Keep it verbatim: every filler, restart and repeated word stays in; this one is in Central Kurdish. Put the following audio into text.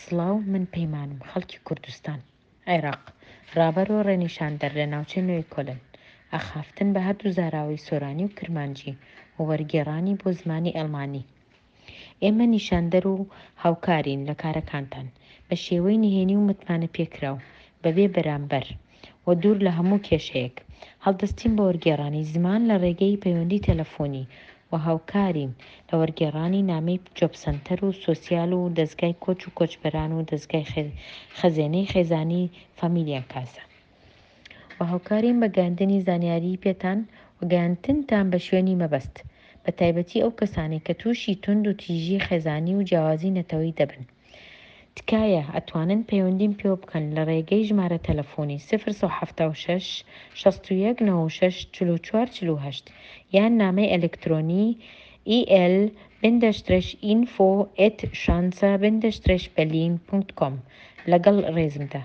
سڵاو، من پەیمانم، خەڵکی کوردستان، عێراق، ڕابەر و ڕێنیشاندەر لە ناوچەی نۆیکۆلن. ئاخافتن بە هەردوو زاراوەی سۆرانی و کرمانجی و وەرگێڕانی بۆ زمانی ئەڵمانی. ئێمە نیشاندەر و هاوکارین لە کارەکانتان، بە شێوەی نهێنی و متمانەپێکراو، بەبێ بەرامبەر و دوور لە هەموو کێشەیەک. هەڵدەستین بە وەرگێڕانی زمان لە ڕێگەی پەیوەندی تەلەفۆنی و هاوکارین لە وەرگێڕانی نامەی جۆبسەنتەر و سۆسیال و دەزگای کۆچ و کۆچبەران و دەزگای خەزێنەی خێزانی فامیلیەنکاسە. و هاوکارین بە گەیاندنی زانیاری پێتان و گەیاندنتان بە شوێنی مەبەست، بە تایبەتی ئەو کەسانەی کە تووشی توند و تیژی خێزانی و جیاوازی نەتەوەیی دەبن. تکایە ئەتوانن پەیوەندیم پێوە بکەن لە ڕێگەی ژمارە تەلەفۆنی سفر سەد و حەفتا و شەش شەست و یەک نەوەد و شەش چل و چوار چل و هەشت یان نامەی ئەلکترۆنی E L بندەشترش info at schanze بندەشترش berlin punkt com. لەگەڵ ڕێزمدا.